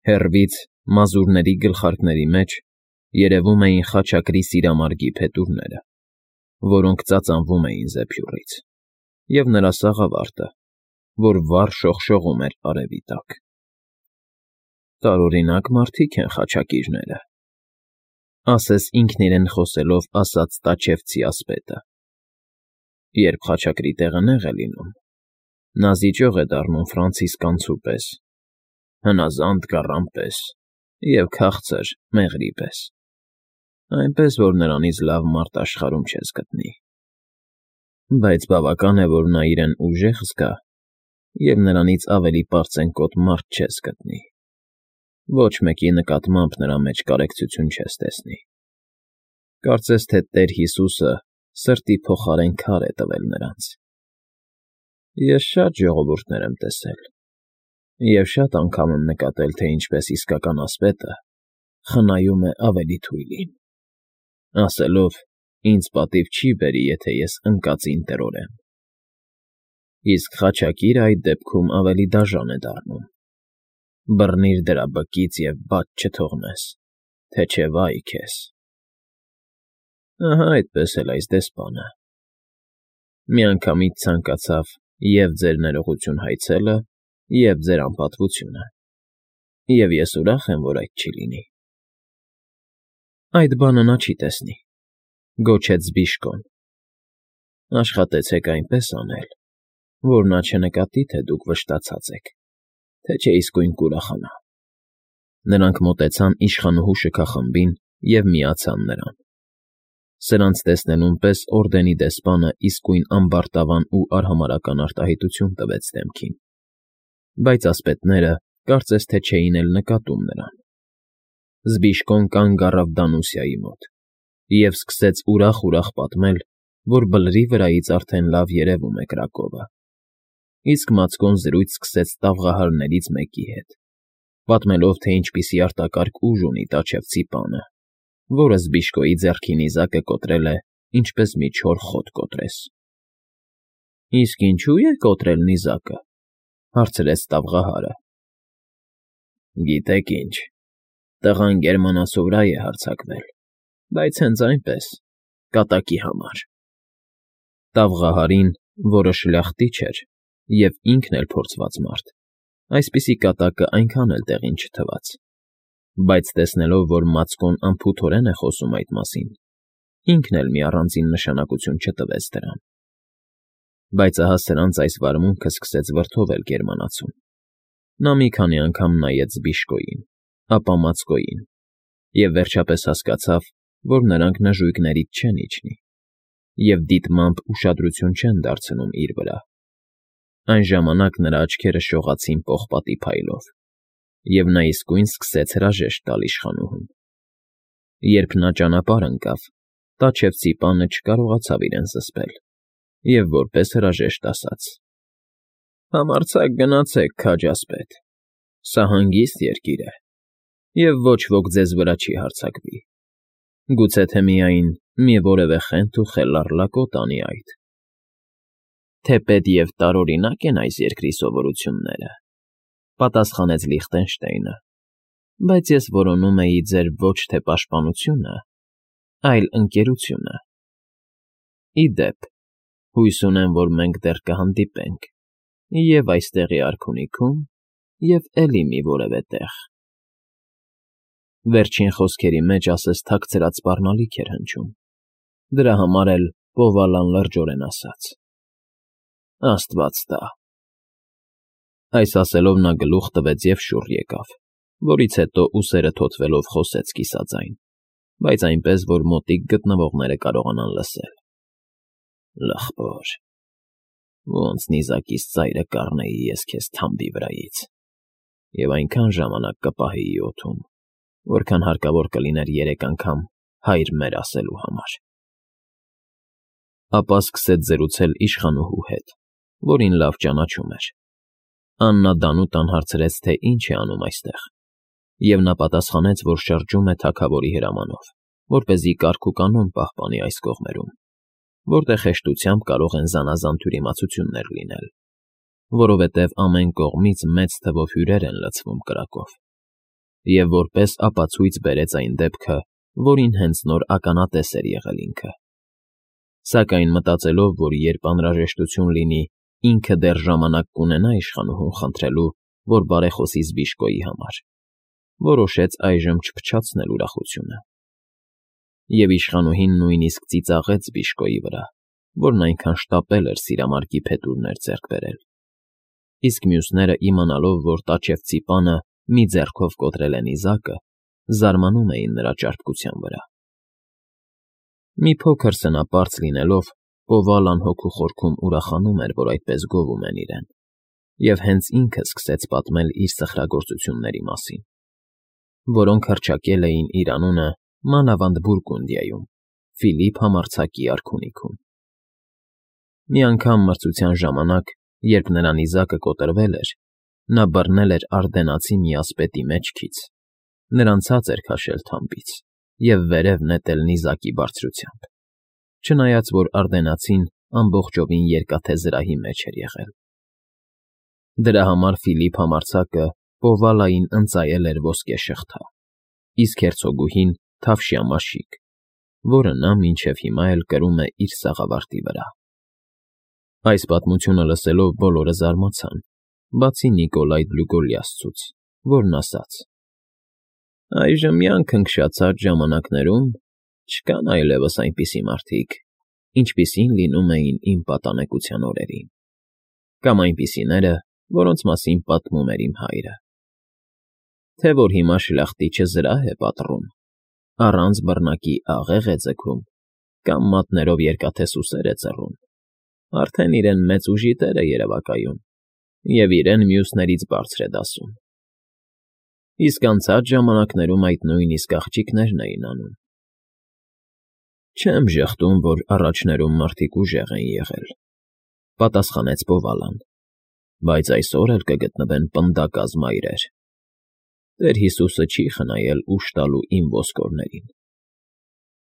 Հեռվից, մազուրների գլխարկների մեջ երևում էին խաչակրի սիրամարգի փետուրները, որոնք ծածանվում էին զեփյուռից, և նրա սաղավարտը, որ վառ շողշողում էր արևի տակ։ «Տարօրինակ մարդիկ են խաչակիրները», ասես ինքն իրեն խոսելով ասաց տաճևցի ասպետը։ «Երբ խաչակրի տեղը նեղ է լինում, նա զիջող է դառնում ֆրանցիսկանցու պես, հնազանդ գառան պես և քաղցր մեղրի պես, այնպես որ նրանից լավ մարդ աշխարհում չես գտնի։ Բայց բավական է, որ նա իրեն ուժեղ զգա, և նրանից ավելի պարծենկոտ մարդ չես գտնի։ Ոչ մեկի նկատմամբ նրա մեջ կարեկցություն չես տեսնի։ Կարծես թե Տեր Հիսուսը սրտի փոխարեն քար է տվել նրանց։ Ես շատ ժողովուրդներ եմ տեսել, և շատ անգամ եմ նկատել, թե ինչպես իսկական ասպետը խնայում է ավելի թույլին, ասելով. «Ինձ պատիվ չի բերի, եթե ես ընկածին տրորեմ»։ Իսկ խաչակիրը այդ դեպքում ավելի դաժան է դառնում. «Բռնիր դրա բկից և բաց չթողնես, թե չէ վա՜յ քեզ»։ Ահա այդպես էլ այս դեսպանը. միանգամից ցանկացավ և՛ ձեր ներողություն հայցելը, և՛ ձեր անպատվությունը, և ես ուրախ եմ, որ այդ չի լինի։ Այդ բանը նա չի տեսնի, գոչեց Զբիշկոն. աշխատեցեք այնպես անել, որ նա չնկատի, թե դուք վշտացած եք, թե չէ իսկույն կուրախանա։ Նրանք մոտեցան իշխանուհու շքախմբին և միացան նրան։ Սրանց տեսնելուն պես օրդենի դեսպանը իսկույն ամբարտավան ու արհամարհական արտահայտություն տվեց դեմքին, բայց ասպետները կարծես թե չէին էլ նկատում նրան։ Զբիշկոն կանգ առավ Դանուսիայի մոտ և սկսեց ուրախ֊ուրախ պատմել, որ բլրի վրայից արդեն լավ երևում է Կրակովը, իսկ Մացկոն զրույց սկսեց տաղղահարներից մեկի հետ, պատմելով, թե ինչպիսի արտակարգ ուժ ունի տաճևցի պանը, որը Զբիշկոյի ձեռքի նիզակը կոտրել է, ինչպես մի չոր խոտ կոտրես։ «Իսկ ինչո՞ւ է կոտրել նիզակը,֊ հարցրեց տաղղահարը։ «Գիտեք ինչ, տղան գերմանացու վրա է հարձակվել, բայց հենց այնպես, կատակի համար»։ Տաղղահարին, որը շլախտիչ էր և ինքն էլ փորձված մարդ, այսպիսի կատակը այնքան էլ տեղին չթվաց, բայց տեսնելով, որ Մացկոն անփութորեն է խոսում այդ մասին, ինքն էլ մի առանձին նշանակություն չտվեց դրան։ Բայց ահա սրանց այս վարմունքը սկսեց վրդովել գերմանացուն։ Նա մի քանի անգամ նայեց Զբիշկոյին, ապա Մացկոյին, և վերջապես հասկացավ, որ նրանք նժույգներից չեն իջնի, և դիտմամբ ուշադրություն չեն դարձնում իր վրա։ Այն ժամանակ նրա աչքերը շողացին պողպատի փայլով, և նա իսկույն սկսեց հրաժեշտ տալ իշխանուհուն։ Երբ նա ճանապարհ ընկավ, տաճևցի պանը չկարողացավ իրեն զսպել և որպես հրաժեշտ ասաց. «Համարձակ գնացեք, քաջ ասպետ, սա հանգիստ երկիր է, և ոչ ոք ձեզ վրա չի հարձակվի, գուցե թե միայն մի որևէ խենթ ու խելառ լակոտ անի այդ»։ «Թեպետ և տարօրինակ են այս երկրի սովորությունները,֊ պատասխանեց Լիխտենշտեյնը,֊ բայց ես որոնում էի ձեր ոչ թե պաշտպանությունը, այլ ընկերությունը։ Ի դեպ, հույս ունեմ, որ մենք դեռ կհանդիպենք և՛ այստեղի արքունիքում, և՛ էլի մի որևէ տեղ»։ Վերջին խոսքերի մեջ ասես թաքցրած սպառնալիք էր հնչում, դրա համար էլ Պովալան լրջորեն ասաց. «Աստված տա»։ Այս ասելով նա գլուխ տվեց և շուռ եկավ, որից հետո ուսերը թոթվելով խոսեց կիսաձայն, բայց այնպես, որ մոտիկ գտնվողները կարողանան լսել. «Լախպոր, ոնց նիզակիս ծայրը կառնեի ես քեզ թամբի վրայից և այնքան ժամանակ կպահեի օդում, որքան հարկավոր կլիներ 3 անգամ «Հայր մեր» ասելու համար»։ Ապա սկսեց զրուցել իշխանուհու հետ, որին լավ ճանաչում էր։ Աննա Դանուտան հարցրեց, թե ինչ է անում այստեղ, և նա պատասխանեց, որ շրջում է թագավորի հրամանով, որպեսզի կարգ ու կանոն պահպանի այս կողմերում, որտեղ հեշտությամբ կարող են զանազան թյուրիմացություններ լինել, որովհետև ամեն կողմից մեծ թվով հյուրեր են լցվում կրակով։ և որպես ապացույց բերեց այն դեպքը, որին հենց նոր ականատես էր եղել ինքը։ Սակայն մտածելով, որ երբ անհրաժեշտություն լինի, ինքը դեռ ժամանակ կունենա իշխանուհուն խնդրելու, որ բարեխոսի Զբիշկոյի համար, որոշեց այժմ չփչացնել ուրախությունը։ Եվ իշխանուհին նույնիսկ ծիծաղեց Զբիշկոյի վրա, որն այնքան շտապել էր սիրամարգի փետուրներ ձեռք բերել։ Իսկ մյուսները, իմանալով, որ տաճևցի պանը մի ձեռքով կոտրել է նիզակը, զարմանում էին նրա ճարպկության վրա։ Մի փոքր սնապարծ լինելով, Պովալան հոգու խորքում ուրախանում էր, որ այդպես գովում են իրեն, և հենց ինքը սկսեց պատմել իր սխրագործությունների մասին, որոնք հռչակել էին իր անունը մանավանդ Բուրգունդիայում, Ֆիլիպ համարձակի արքունիքում։ Մի անգամ մրցության ժամանակ, երբ նրա նիզակը կոտրվել էր, նա բռնել էր ардենացի մի ասպետի մեջքից, նրան ցած էր քաշել թամբից և վերև նետել նիզակի բարձրությամբ, չնայած որ ардենացին ամբողջովին երկաթե զրահի մեջ էր եղել։ Դրա համար Ֆիլիպ համարձակը Պովալային ընծայել էր ոսկե շղթա, իսկ հերցոգուհին թավշյա մաշիկ, որը նա մինչև հիմա էլ կրում է իր սաղավարտի վրա։ Այս պատմությունը լսելով բոլորը զարմացան, բացի Նիկոլայ Դլուգոլիասցուց, որն ասաց. «Այժմյան քնքշացած ժամանակներում չկան այլևս այնպիսի մարդիկ, ինչպիսին լինում էին իմ պատանեկության օրերին, կամ այնպիսիները, որոնց մասին պատմում էր իմ հայրը։ Թե որ հիմա շլախտիչը զրահ է պատռում, առանց բռնակի աղեղ է ձգում, կամ մատներով երկաթե սուսեր է ծռում, արդեն իրեն մեծ ուժի տեր է երևակայում և իրեն մյուսներից բարձր է դասում։ Իսկ անցած ժամանակներում այդ նույնիսկ աղջիկներն էին անում։ Չեմ ժխտում, որ առաջներում մարդիկ ուժեղ են եղել, պատասխանեց Պովալան, բայց այսօր էլ կգտնվեն պնդակազ մայրեր։ Տեր Հիսուսը չի խնայել ուժ տալու իմ ոսկորներին։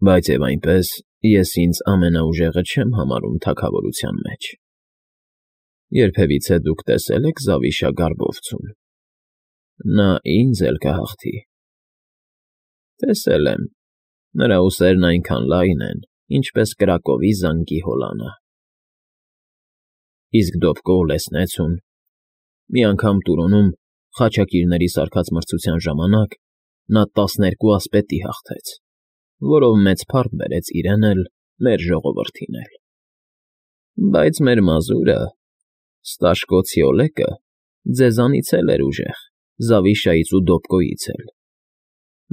Բայց և այնպես ես ինձ ամենաուժեղը չեմ համարում թագավորության մեջ։ Երբևիցե դուք տեսե՞լ եք Զավիշա Գարբովցուն։ Նա ինձ էլ կհաղթի։ Տեսել եմ, նրա ուսերն այնքան լայն են, ինչպես Կրակովի զանգի հոլանը։ Իսկ Դովկո Լեսնեցուն, մի անգամ Տուրոնում խաչակիրների սարքած մրցության ժամանակ նա 12 ասպետի հաղթեց, որով մեծ փառք բերեց իրեն էլ, մեր ժողովրդին էլ։ Բայց մեր մազուրը, Ստաշկոցի Օլեկը, ձեզանից էլ էր ուժեղ, Զավիշայից ու Դովկոյից էլ։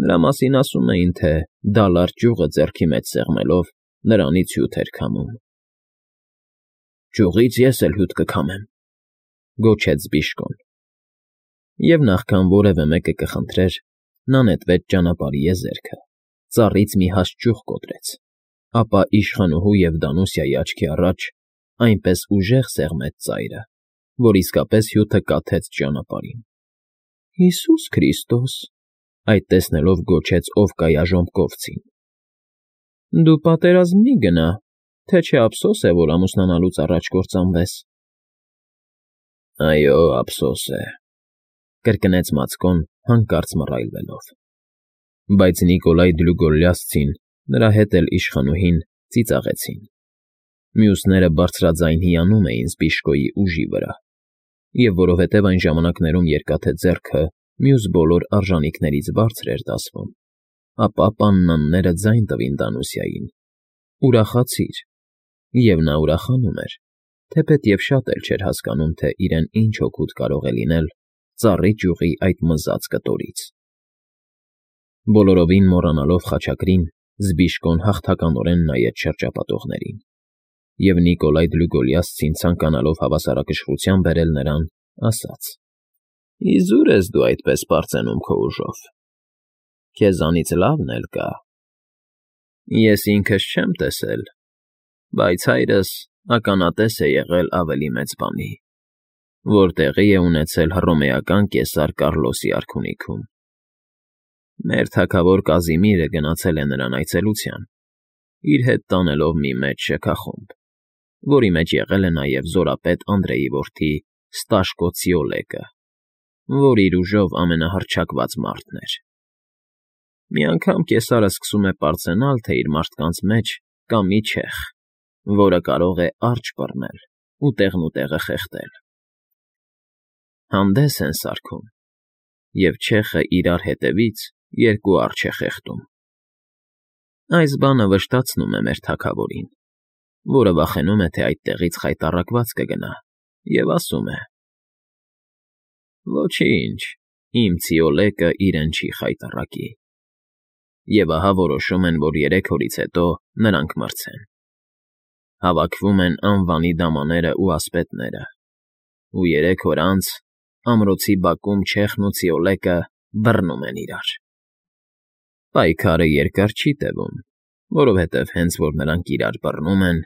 Նրա մասին ասում էին, թե դալար ճյուղը ձեռքի մեջ սեղմելով նրանից հյութ էր քամում։ Ճյուղից ես էլ հյութ կքամեմ, գոչեց Զբիշկոն։ Եվ նախքան որևէ մեկը կխնդրեր, նա նետվեց ճանապարհի եզերքը, ծառից մի հաստ ճյուղ կոտրեց, ապա իշխանուհու և Դանուսիայի աչքի առաջ այնպես ուժեղ սեղմեց ծայրը, որ իսկապես հյութը կաթեց ճանապարհին։ Հիսուս Քրիստոս, այդ տեսնելով գոչեց Օվկայաժոմկովցին. Դու պատերազմ մի գնա, թե չէ ափսոս է, որ ամուսնանալուց առաջ կործանվես։ Այո, ափսոս է, կրկնեց Մացկոն հանկարծ մռայլվելով։ Բայց Նիկոլայ Դլուգոլիասցին, նրա հետ էլ իշխանուհին ծիծաղեցին։ Մյուսները բարձրաձայն հիանում էին Զբիշկոյի ուժի վրա, և որովհետև այն ժամանակներում երկաթե ձեռքը մյուս բոլոր արժանիքներից բարձր էր դասվում, ապա պաննանները ձայն տվին Դանուսիային. ուրախացիր, և նա ուրախանում էր, թեպետև շատ էլ չէր հասկանում, թե իրեն ինչ օգուտ կարող է լինել ծառի ճյուղի այդ մզած կտորից։ Բոլորովին մոռանալով խաչակրին, Զբիշկոն հաղթականորեն նայեց շրջապատողներին, և Նիկոլայ Դլուգոլիասցին ցանկանալով հավասարակշռության բերել նրան, ասաց. Իզուր ես դու այդպես պարծենում քո ուժով։ Քեզանից լավն էլ կա։ Ես ինքս չեմ տեսել, բայց հայրս ականատես է եղել ավելի մեծ բանի, որ տեղի է ունեցել հռոմեական կեսար Կառլոսի արքունիքում։ Մեր թագավոր Կազիմիրը գնացել է նրան այցելության, իր հետ տանելով մի մեծ շքախումբ, որի մեջ եղել է նաև զորապետ Անդրեի որդի Ստաշկոցի Օլեկը։ որ իր ուժով ամենահռչակված մարդն էր։ Մի անգամ կեսարը սկսում է պարծենալ, թե իր մարդկանց մեջ կա մի չեխ, որը կարող է արջ բռնել ու տեղնուտեղը խեղդել։ Հանդես են սարքում, և չեխը իրար հետևից երկու արջ է խեղդում։ Այս բանը վշտացնում է մեր թագավորին, որը վախենում է, թե այդտեղից խայտառակված կգնա, և ասում է. «Ոչինչ, իմ Ցիոլեկը իրեն չի խայտառակի»։ Եվ ահա որոշում են, որ 3 օրից հետո նրանք մրցեն։ Հավաքվում են անվանի դամաներն ու ասպետները, ու 3 օր անց ամրոցի բակում չեխն ու Ցիոլեկը բռնում են իրար։ Պայքարը երկար չի տևում, որովհետև հենց որ նրանք իրար բռնում են,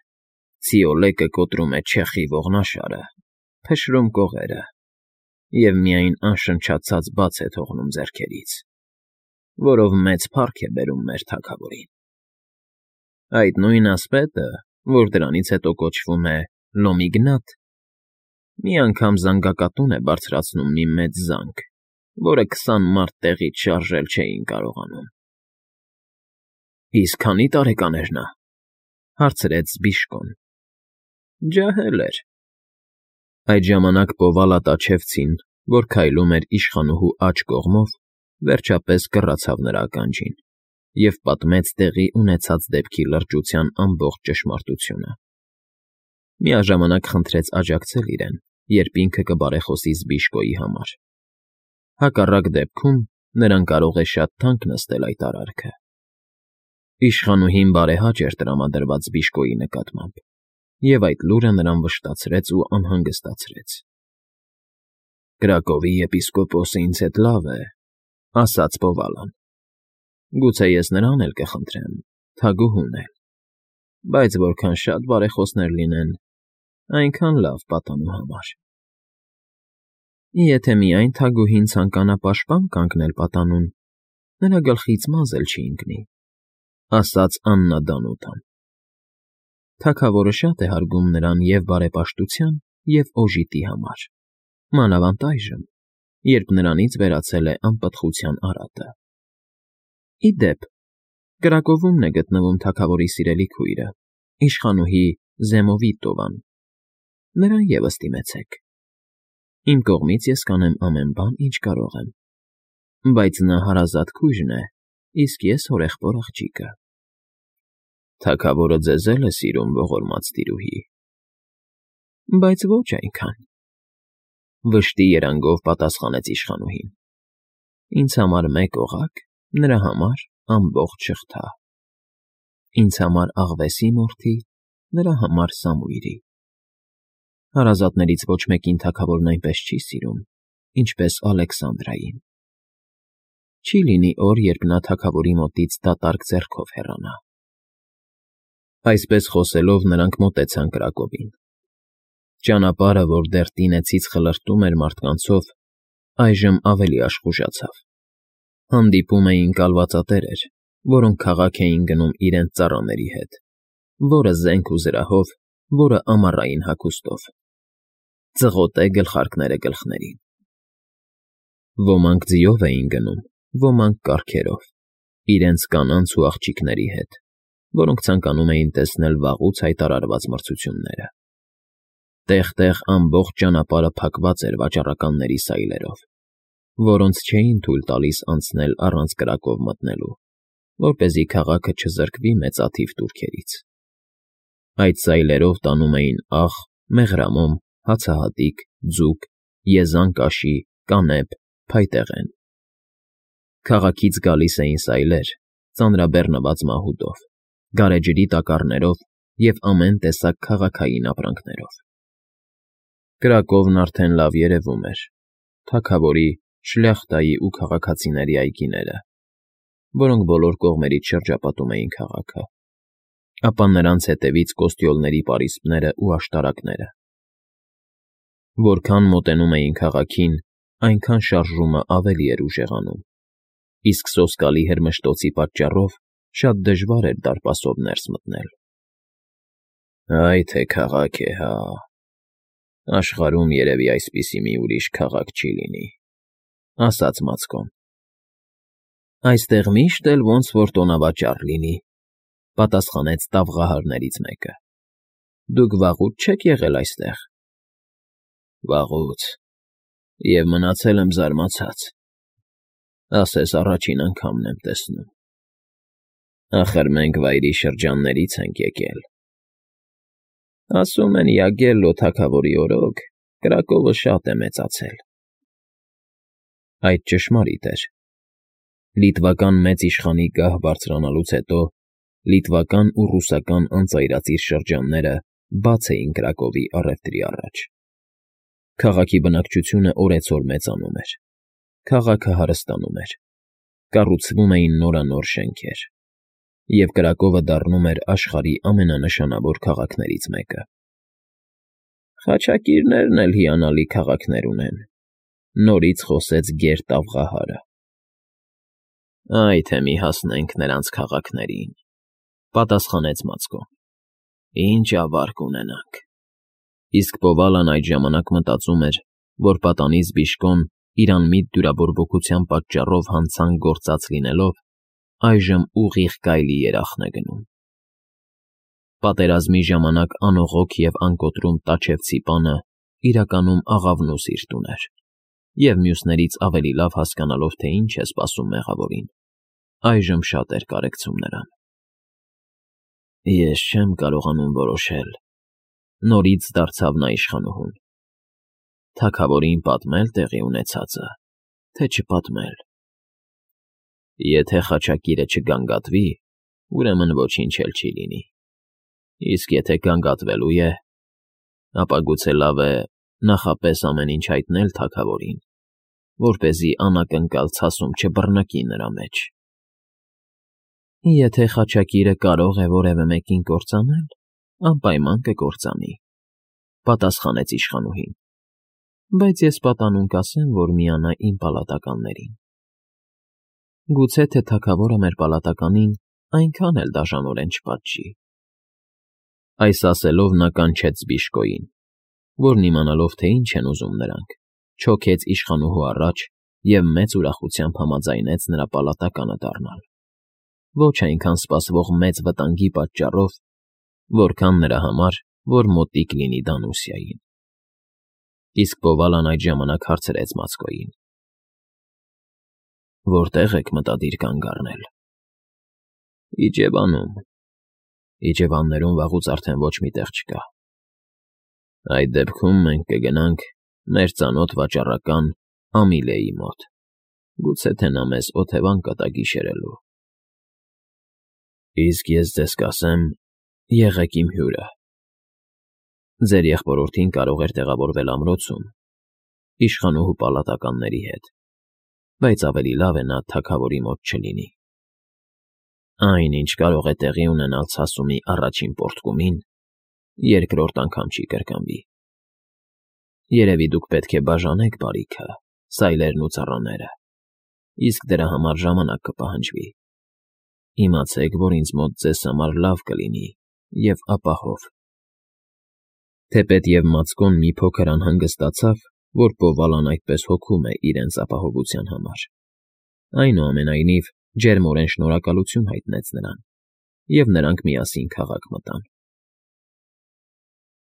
Ցիոլեկը կոտրում է չեխի ողնաշարը, փշրում կողերը և միայն անշնչացած բաց է թողնում ձեռքերից, որով մեծ փառք է բերում մեր թագավորին։ Այդ նույն ասպետը, որ դրանից հետո կոչվում է Լոմիգնատ, մի անգամ զանգակատուն է բարձրացնում մի մեծ զանգ, որը 20 մարդ տեղից շարժել չէին կարողանում։ «Իսկ քանի՞ տարեկան էր նա,֊ հարցրեց Բիժկոն։ Ջահել էր։ Այդ ժամանակ Պովալատաչևցին, որ քայլում էր իշխանուհու աջ կողմով, վերջապես կռացավ նրա ականջին և պատմեց տեղի ունեցած դեպքի լրջության ամբողջ ճշմարտությունը։ Միաժամանակ խնդրեց աջակցել իրեն, երբ ինքը կբարեխոսի Զբիժկոյի համար։ Հակառակ դեպքում նրան կարող է շատ թանկ նստել այդ արարքը։ Իշխանուհին բարեհաճ էր տրամադրված Զբիժկոյի նկատմամբ, և այդ լուրը նրան վշտացրեց ու անհանգստացրեց։ «Կրակովի եպիսկոպոսը ինձ հետ լավ է,֊ ասաց Պովալան։ Գուցե ես նրան էլ կխնդրեմ, թագուհուն էլ, բայց որքան շատ բարեխոսներ լինեն, այնքան լավ պատանու համար»։ Եթե միայն թագուհին ցանկանա պաշտպան կանգնել պատանուն, նրա գլխից մազ էլ չի ընկնի,֊ ասաց Աննա Դանուտան։ Թագավորը շատ է հարգում նրան և բարեպաշտության, և օժիտի համար, մանավանդ այժմ, երբ նրանից վերացել է անպտղության արատը։ Ի դեպ, Կրակովում է գտնվում թագավորի սիրելի քույրը, իշխանուհի Զեմովիտովան։ Նրան ևս դիմեցեք։ Իմ կողմից ես կանեմ ամեն բան, ինչ կարող եմ, բայց նա հարազատ քույրն է, իսկ ես հորեղբոր աղջիկը։ Թագավորը ձեզ էլ է սիրում, ողորմած տիրուհի։ Բայց ոչ այնքան,֊ վշտի երանգով պատասխանեց իշխանուհին։ Ինձ համար մեկ օղակ, նրա համար ամբողջ շղթա։ Ինձ համար աղվեսի մորթի, նրա համար Սամուիրի։ Հարազատներից ոչ մեկին թագավորն այնպես չի սիրում, ինչպես Ալեքսանդրային։ Չի լինի օր, երբ նա թագավորի մոտից դատարկ ձեռքով հեռանա։ Այսպես խոսելով նրանք մոտեցան Կրակովին։ Ճանապարհը, որ դեռ տինեցից խլրտում էր մարդկանցով, այժմ ավելի աշխուժացավ։ Հանդիպում էին կալվածատերեր, որոնք քաղաք էին գնում իրենց ծառաների հետ, որը զենք ու զրահով, որը ամառային հագուստով։ Ծղոտե գլխարկները գլխներին։ Ոմանք ձիով էին գնում, ոմանք կառքերով, իրենց կանանց ու աղջիկների հետ, որոնք ցանկանում էին տեսնել վաղուց հայտարարված մրցությունները։ Տեղ֊տեղ ամբողջ ճանապարհը փակված էր վաճառականների սայլերով, որոնց չէին թույլ տալիս անցնել առանց կրակով մտնելու, որպեսզի քաղաքը չզրկվի մեծաթիվ տուրքերից։ Այդ սայլերով տանում էին աղ, մեղրամոմ, հացահատիկ, ձուկ, եզան կաշի, կանեփ, փայտեղեն։ Քաղաքից գալիս էին սայլեր, ծանրաբեռնված մահուդով, գարեջրի տակառներով և ամեն տեսակ քաղաքային ապրանքներով։ Կրակովն արդեն լավ երևում էր, թագավորի, շլյախտայի ու քաղաքացիների այգիները, որոնք բոլոր կողմերից շրջապատում էին քաղաքը, ապա նրանց հետևից կոստյոլների պարիսպները ու աշտարակները։ Որքան մոտենում էին քաղաքին, այնքան շարժումը ավելի էր ուժեղանում, իսկ սոսկալի հրմշտոցի պատճառով շատ դժվար էր դարպասով ներս մտնել։ Այ թե քաղաք է, հա… Աշխարհում երևի այսպիսի մի ուրիշ քաղաք չի լինի։ ասաց Մացկոն։ Այստեղ միշտ էլ ոնց որ տոնավաճառ լինի, պատասխանեց տավղահարներից մեկը։ Դուք վաղուց չեք եղել այստեղ։ Վաղուց, և մնացել եմ զարմացած, ասես առաջին անգամն եմ տեսնում։ Ախր մենք վայրի շրջաններից ենք եկել։ Ասում են Յագելլո թագավորի օրոք Կրակովը շատ է մեծացել։ Այդ ճշմարիտ էր։ Լիտվական մեծ իշխանի գահ բարձրանալուց հետո լիտվական ու ռուսական անծայրածիր շրջանները բաց էին Կրակովի առևտրի առաջ։ Քաղաքի բնակչությունը օրեցօր մեծանում էր։ Քաղաքը հարստանում էր։ Կառուցվում էին նորանոր շենքեր։ Եվ Կրակովը դառնում էր աշխարհի ամենանշանավոր քաղաքներից մեկը։ Խաչակիրներն էլ հիանալի քաղաքներ ունեն, նորից խոսեց Գեր տավղահարը։ Այ թե մի հասնենք նրանց քաղաքներին, պատասխանեց Մացկոն։ Ինչ ավարկ ունենանք։ Իսկ Պովալան այդ ժամանակ մտածում էր, որ պատանից Բիշկոն իր անմիտ դյուրաբորբոքության պատճառով հանցանք գործած լինելով, այժմ ուղիղ գայլի երախն է գնում։ Պատերազմի ժամանակ անողոք և անկոտրում Տաչևցի պանը իրականում աղավնու սիրտ ուներ, և մյուսներից ավելի լավ հասկանալով, թե ինչ է սպասում մեղավորին, այժմ շատ էր կարեկցում նրան։ Ես չեմ կարողանում որոշել, նորից դարձավ նա իշխանուհուն։ Թագավորին պատմել տեղի ունեցածը, թե չպատմել։ Եթե խաչակիրը չգանգատվի, ուրեմն ոչինչ էլ չի լինի։ Իսկ եթե գանգատվելու է, ապա գուցե լավ է նախապես ամեն ինչ հայտնել թագավորին, որպեսզի անակնկալ ցասում չբռնկի նրա մեջ։ Եթե խաչակիրը կարող է որևէ մեկին կործանել, անպայման կկործանի, պատասխանեց իշխանուհին, բայց ես պատանուն կասեմ, որ միանա իմ պալատականներին։ Գուցե թե թագավորը մեր պալատականին այնքան էլ դաժանորեն չպատժի։ Այս ասելով նա կանչեց Բիշկոյին, որն իմանալով, թե ինչ են ուզում նրանք, չոքեց իշխանուհու առաջ և մեծ ուրախությամբ համաձայնեց նրա պալատականը դառնալ, ոչ այնքան սպասվող մեծ վտանգի պատճառով, որքան նրա համար, որ մոտիկ լինի Դանուսիային։ Իսկ Պովալան այդ ժամանակ հարցրեց Մացկոյին. Որտե՞ղ եք մտադիր կանգ առնել։ Իջևանում։ Իջևաններում վաղուց արդեն ոչ մի տեղ չկա։ Այդ դեպքում մենք կգնանք մեր ծանոթ վաճառական Ամիլեի մոտ, գուցե թե նա մեզ օթևան կտա գիշերելու։ Իսկ ես ձեզ կասեմ, եղեք իմ հյուրը։ Ձեր եղբորորդին կարող էր տեղավորվել ամրոցում, իշխանուհու պալատականների հետ, բայց ավելի լավ է նա թագավորի մոտ չլինի։ Այն, ինչ կարող է տեղի ունենալ ցասումի առաջին պոռթկումին, երկրորդ անգամ չի կրկնվի։ Երևի դուք պետք է բաժանեք բարիքը, սայլերն ու ծառաները, իսկ դրա համար ժամանակ կպահանջվի։ Իմացեք, որ ինձ մոտ ձեզ համար լավ կլինի և ապահով։ Թեպետ և Մացկոն մի փոքր անհանգստացավ, որ Պովալան այդպես հոգում է իրենց ապահովության համար։ Այնուամենայնիվ ջերմորեն շնորհակալություն հայտնեց նրան, և նրանք միասին քաղաք մտան։